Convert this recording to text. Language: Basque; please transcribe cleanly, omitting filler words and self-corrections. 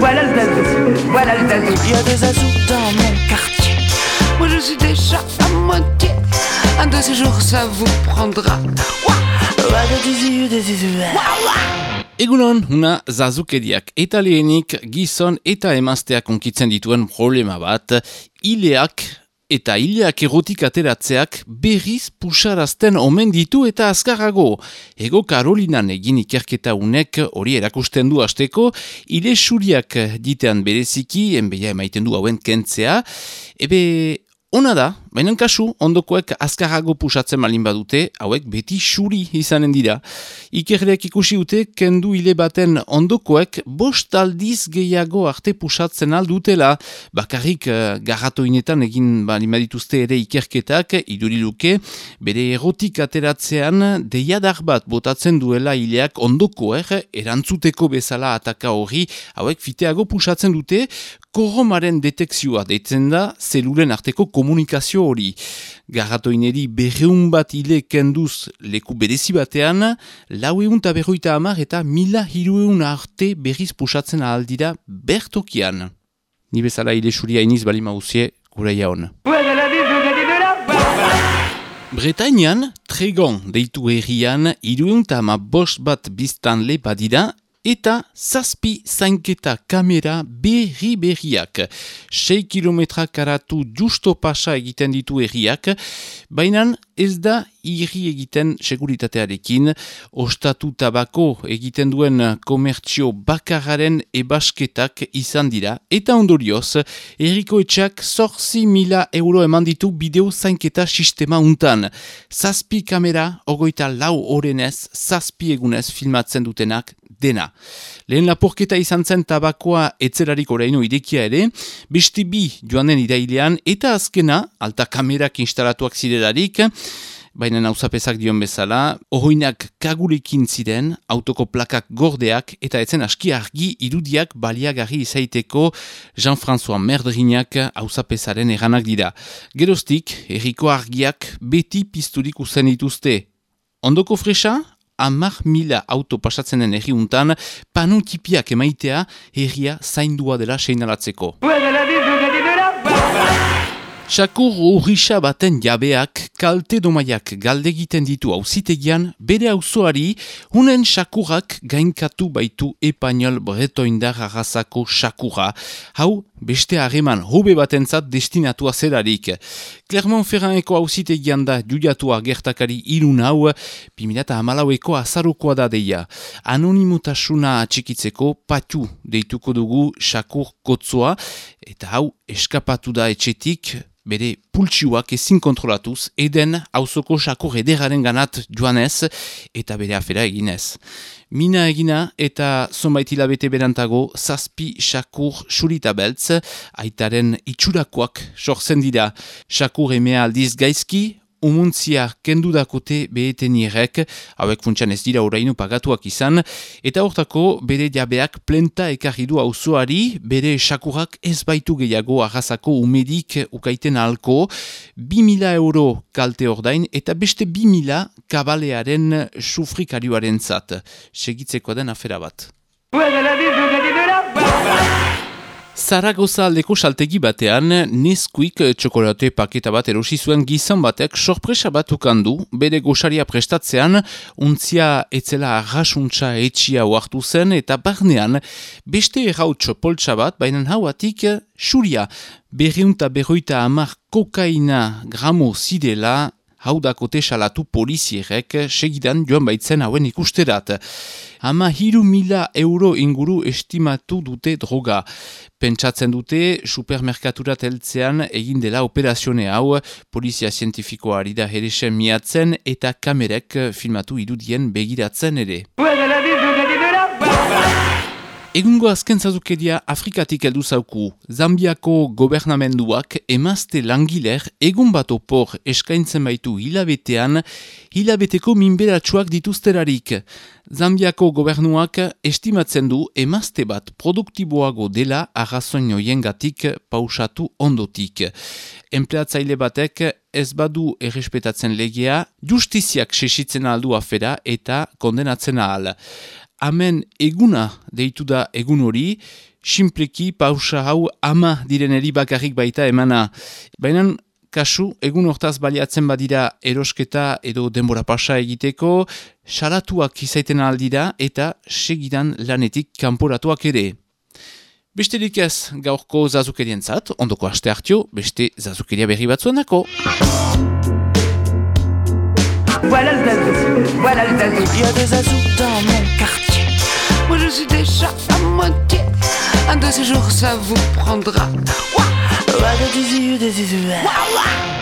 Voilà le zazou, voilà le zazou. Il y a des zazous dans mon quartier. Moi je suis déjà à moitié. Un de ces jours ça vous prendra. Egunon, una zazukeriak eta lehenik gizon eta emazteak onkitzen dituen problema bat, ileak eta ileak erotik ateratzeak berriz pusarazten omen ditu eta azkarrago. Ego Karolinan egin ikerketa unek hori erakusten du hasteko, ile suriak ditean bereziki, enbeia emaiten du hauen kentzea, ona da, baina kasu, ondokoek azkarrago pusatzen malin badute, hauek beti suri izanen dira. Ikerleak ikusi dute, kendu hile baten ondokoek 5 aldiz gehiago arte pusatzen aldutela. Bakarrik garratoinetan egin balin badituzte ere ikerketak, iduriluke, bere erotik ateratzean deiadar bat botatzen duela hileak ondokoek, erantzuteko bezala ataka hori, hauek fiteago pusatzen dute, korromaren detekzioa deitzen da zelulen arteko komunikazio hori. Garratoineri 200 bat hile kenduz leku berezi batean, 450 eta 1300 arte berriz pusatzen ahaldira bertokian. Ni bezala hile suria iniz bali mauzie, gure jaon. Bretainian, Tregon deitu herrian, 315 bat biztanle badira, eta 7 zainketa kamera berriak. 6 kilometra karatu justo pasa egiten ditu herriak, baina ez da irri egiten seguritatearekin, ostatu tabako egiten duen komertzio bakarraren ebasketak izan dira, eta ondorioz, herriko etxeak 8.000 euro eman ditu bideo zainketa sistema untan. 7 kamera, 24 orenez, 7 egunez filmatzen dutenak dena. Lehen lapurketa izan zen tabakoa etzerarik oraino irekia ere, beste 2 joan den irailean, eta azkena, alta kamerak instalatuak zirelarik, baina nauzapezak dion bezala, ohoinak kagurekin ziren, autoko plakak gordeak, eta etzen aski argi irudiak baliagarri izaiteko Jean-François Merdrinak hauzapezaren eranak dira. Geroztik, herriko argiak beti pizturik uzen dituzte. Ondoko fresa? 10.000 auto pasatzen den herriuntan, panotipiak emaitea herria zaindua dela seinalatzeko. Sakur urrisa baten jabeak kalte domaiak galdegiten ditu auzitegian bere auzoari hunen sakurak gainkatu baitu Espainol bretoindar arrazako sakura. Hau beste harreman hobe batentzat destinatua zelarik. Clermont-Ferrandeko auzitegian da judiatua gertakari irun hau 2014ko azarokoa da deia. Anonimotasuna atxikitzeko patu deituko dugu sakur kotzoa eta hau eskapatu da etxetik, bere pultsioak ezin kontrolatuz, eden auzoko sakur ederaren ganat joanez eta bere afera eginez. Mina egina eta zonbait hilabete berantago 7 sakur surita beltz, aitaren itxurakoak sortzen dira. Sakur emea aldiz gaizki, umuntzia kendu dakote behetenierek, hauek funtsan ez dira oraino pagatuak izan, eta hortako bere jabeak plenta ekarri du auzoari, bere sakurak ez baitu gehiago arrazako umedik ukaiten halko, 2.000 euro kalte ordain, eta beste 2.000 kabalearen sufrikarioaren zat. Segitzeko den afera bat. Zaragoza aldeko saltegi batean, Nesquik txokolate paketa bat erosi zuen gizon batek sorpresa bat ukandu, bere gosaria prestatzean, untzia etzela arrasuntza etxia oartu zen, eta barnean beste errautxo poltsa bat, baina hauatik xuria, 250 kokaina gramo zidela, hau dakote salatu polizierek segidan joan baitzen hauen ikusterat. 13.000 euro inguru estimatu dute droga. Pentsatzen dute supermerkaturat heltzean egin dela operazione hau, polizia zientifikoari da heresen miatzen eta kamerek filmatu irudien begiratzen ere. Egungo azken zazukeria Afrikatik heldu zauku. Zambiako gobernamenduak emazte langiler egun bat opor eskaintzen baitu hilabetean, hilabeteko minberatsuak dituzterarik. Zambiako gobernuak estimatzen du emazte bat produktiboago dela arrazoin hoiengatik pausatu ondotik. Enpleatzaile batek ez badu errespetatzen legea, justiziak sesitzen aldu afera eta kondenatzen ahal. amen eguna deitu da egun hori, simpleki pausa hau ama direneri bakarrik baita emana. Baina kasu, egun hortaz baliatzen badira erosketa edo denbora pasa egiteko, salatuak izaiten aldira eta segidan lanetik kanporatuak ere. Besterik ez gaurko zazukerientzat, ondoko aste hartio, beste zazukeria berri batzuenako. Voilà le zazou, voilà le zazou. Il y a des zazous dans mon quartier. Moi je suis déjà à moitié. Un de ces jours ça vous prendra. Ouah, ouah, des yeux, des yeux. Ouah, ouah.